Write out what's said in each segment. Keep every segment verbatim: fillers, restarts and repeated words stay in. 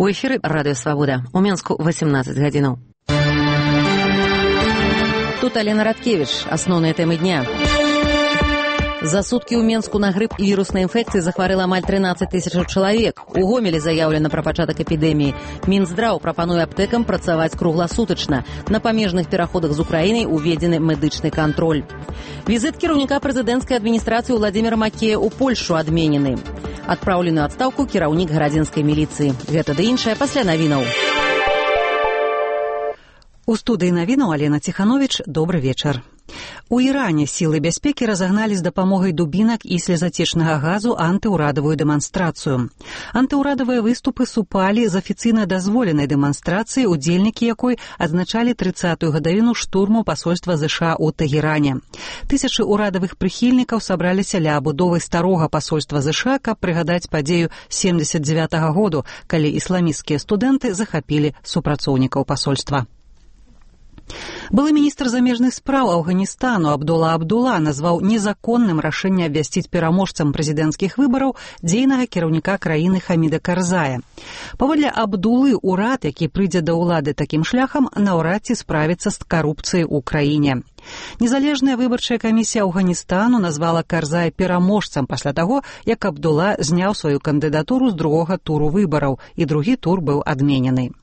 У эфіры радыё Свабода. У Менску восемнадцать гадзінаў. Тут Алена Радкевич. Асноўныя тэмы дня. За суткі ў Менску на грып і віруснай інфекцыі захварэла амаль трынаццаць тысячаў чалавек. У Гомелі заяўлена пра пачатак эпідэміі. Мінздраў прапануе аптэкам працаваць кругласутачна. На памежных пераходах з Украінай уведзены медычны кантроль. Візіт кіраўніка прэзідэнцкай адміністрацыі Владзіміра Макея ў Польшу адменены. Адпраўлены ў адстаўку кіраўнік гарадзенскай міліцыі. Гэта ды іншае пасля навінаў. У студыі навінаў Алена Ціхановіч. Добры вечар. У Іране сілы бяспекі разагналі з дапамогай дубінак і слезацечнага газу антыўрадавую дэманстрацыю. Антыўрадавыя выступы супалі з афіцыйна дазволенай дэманстрацыі, удзельнікі якой адзначалі трыццатую гадавіну штурму пасольства ЗША ў Тэгеране. Тысячы ўрадавых прыхільнікаў сабраліся ля абудовы старога пасольства ЗША, каб прыгадаць падзею семдзесят дзевятага году, калі ісламісцкія студэнты захапілі супрацоўнікаў пасольства. Былы міністр замежных спраў Афганістану Абдула Абдула назваў незаконным рашэнне абвясціць пераможцам прэзідэнцкіх выбараў дзейнага кіраўніка краіны Хаміда Карзая. Паводле Абдулы, урад, які прыйдзе да ўлады такім шляхам, наўрад ці справіцца з карупцыяй у краіне. Незалежная выбарчая камісія Афганістану назвала Карзая пераможцам пасля таго, як Абдула зняў сваю кандыдатуру з другога туру выбараў, і другі тур быў адменены.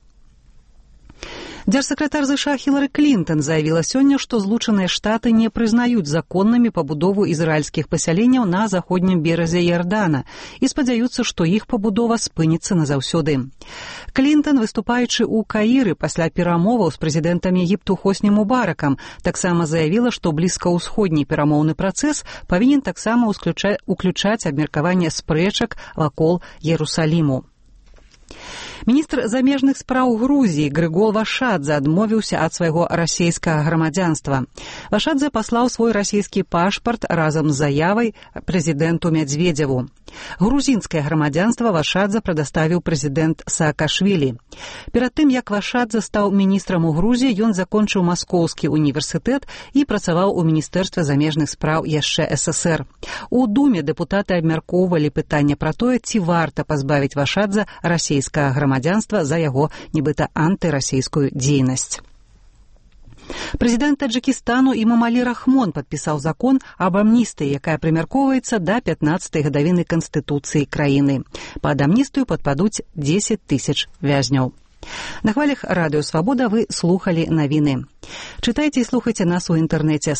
Дзяржсакратар ЗША Хілары Клінтон заявіла сёння, што Злучаныя Штаты не прызнаюць законнымі пабудову ізраільскіх пасяленняў на заходнім беразе Іордана і спадзяюцца, што іх пабудова спыніцца назаўсёды. Клінтон, выступаючы ў Каіры пасля перамоваў з прэзідэнтам Егіпту Хосні Мубаракам, таксама заявіла, што блізкаўсходні перамоўны працэс павінен таксама уключаць абмеркаванне спрэчак вакол Ерусаліму. Міністр замежных спраў Грузіі Грыгол Вашадзе адмовіўся ад свайго расейскага грамадзянства. Вашадзе паслаў свой расійскі пашпарт разам з заявай прэзідэнту Мядзведзеву. Грузінскае грамадзянства Вашадзе прадаставіў прэзідэнт Саакашвілі. Перад тым, як Вашадзе стаў міністрам у Грузіі, ён закончыў Маскоўскі універсітэт і працаваў у міністэрстве замежных спраў яшчэ СССР. У Думе дэпутаты абмяркоўвалі пытанне пра тое, ці варта пазбавіць Вашадзе расійскага грамадзянства за яго нібыта антырасійскую дзейнасць. Прэзідэнт Таджыкістану Имамалі Рахмон падпісаў закон аб амністыі, якая прымяркоўваецца да пятнаццатай гадавіны Канстытуцыі краіны. Пад амністыю падпадуць дзесяць тысяч вязняў. На хвалях радыё Свабода вы слухалі навіны. Чытайце і слухайце нас у інтэрнэце.